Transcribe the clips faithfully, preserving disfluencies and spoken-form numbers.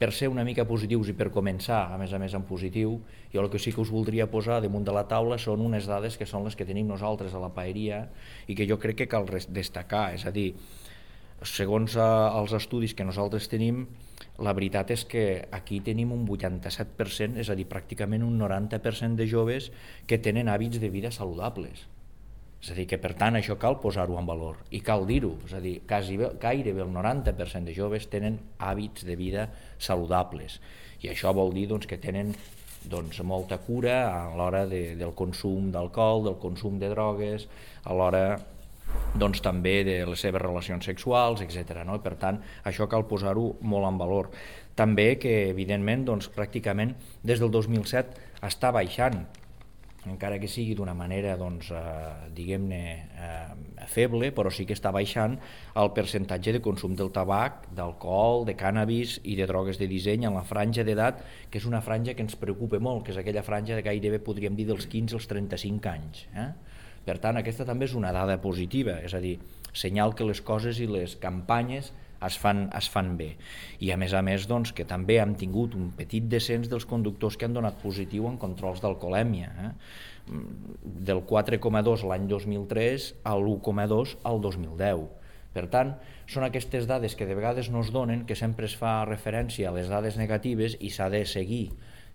per ser una mica positius i per començar, a més a més en positiu, jo el que sí que us voldria posar damunt de la taula són unes dades que són les que tenim nosaltres a la paeria i que jo crec que cal destacar, és a dir, segons els estudis que nosaltres tenim, la veritat és que aquí tenim un vuitanta-set per cent, és a dir, pràcticament un noranta per cent de joves que tenen hàbits de vida saludables. És a dir, que per tant això cal posar-ho en valor i cal dir-ho, és a dir, quasi, gairebé el noranta per cent de joves tenen hàbits de vida saludables i això vol dir doncs, que tenen doncs, molta cura a l'hora de, del consum d'alcohol, del consum de drogues, a l'hora doncs, també de les seves relacions sexuals, etcètera. No? Per tant, això cal posar-ho molt en valor. També que, evidentment, doncs, pràcticament des del dos mil set està baixant, encara que sigui d'una manera, doncs, eh, diguem-ne, eh, feble, però sí que està baixant el percentatge de consum del tabac, d'alcohol, de cànnabis i de drogues de disseny en la franja d'edat, que és una franja que ens preocupa molt, que és aquella franja de gairebé, podríem dir, dels quinze als trenta-cinc anys. Eh? Per tant, aquesta també és una dada positiva, és a dir, senyal que les coses i les campanyes es fan, es fan bé. I a més a més, doncs, que també hem tingut un petit descens dels conductors que han donat positiu en controls d'alcoholèmia, eh? del quatre coma dos l'any dos mil tres a l'u coma dos al dos mil deu. Per tant, són aquestes dades que de vegades no es donen, que sempre es fa referència a les dades negatives i s'ha de seguir,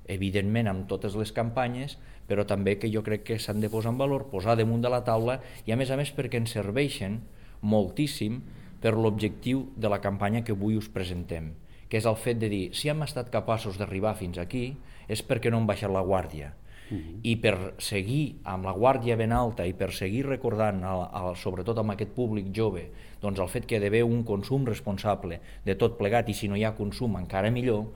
evidentment, amb totes les campanyes, però també que jo crec que s'han de posar en valor, posar damunt de la taula i a més a més perquè ens serveixen moltíssim per l'objectiu de la campanya que avui us presentem, que és el fet de dir, si hem estat capaços d'arribar fins aquí és perquè no hem baixat la guàrdia. Uh-huh. I per seguir amb la guàrdia ben alta i per seguir recordant, el, el, sobretot amb aquest públic jove, doncs el fet que hi ha d'haver un consum responsable de tot plegat i si no hi ha consum encara millor,